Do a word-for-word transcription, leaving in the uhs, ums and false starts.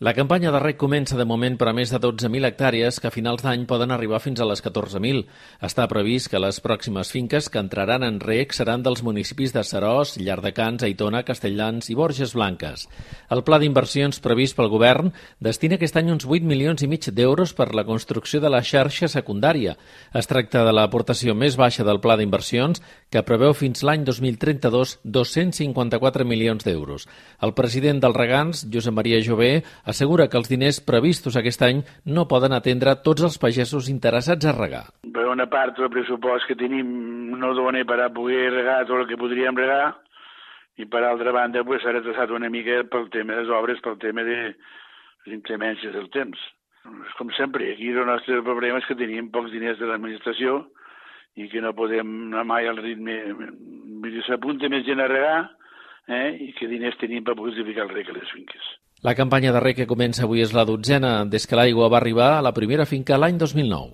La campanya de reg comença de moment per a més de dotze mil hectàrees que a finals d'any poden arribar fins a les catorze mil. Està previst que les pròximes finques que entraran en reg seran dels municipis de Seròs, Llardecans, Aitona, Castelldans i Borges Blanques. El pla d'inversions previst pel govern destina aquest any uns vuit milions i mig d'euros per la construcció de la xarxa secundària. Es tracta de l'aportació més baixa del pla d'inversions, que preveu fins l'any dos mil trenta-dos dos-cents cinquanta-quatre milions d'euros. El president dels regants, Josep Maria Jové, assegura que els diners previstos aquest any no poden atendre tots els pagesos interessats a regar. Per una part del pressupost que tenim no dona per a poder regar tot el que podríem regar i per altra banda pues, s'ha retrasat una mica pel tema de les obres, pel tema de les inclemències del temps. Com sempre, aquí el nostre problema és que tenim pocs diners de l'administració i que no podem anar mai al ritme. S'apunta més gent a regar eh, i que diners tenim per poder ficar el reg a les finques. La campanya de reg que comença avui és la dotzena des que l'aigua va arribar a la primera finca l'any dos mil nou.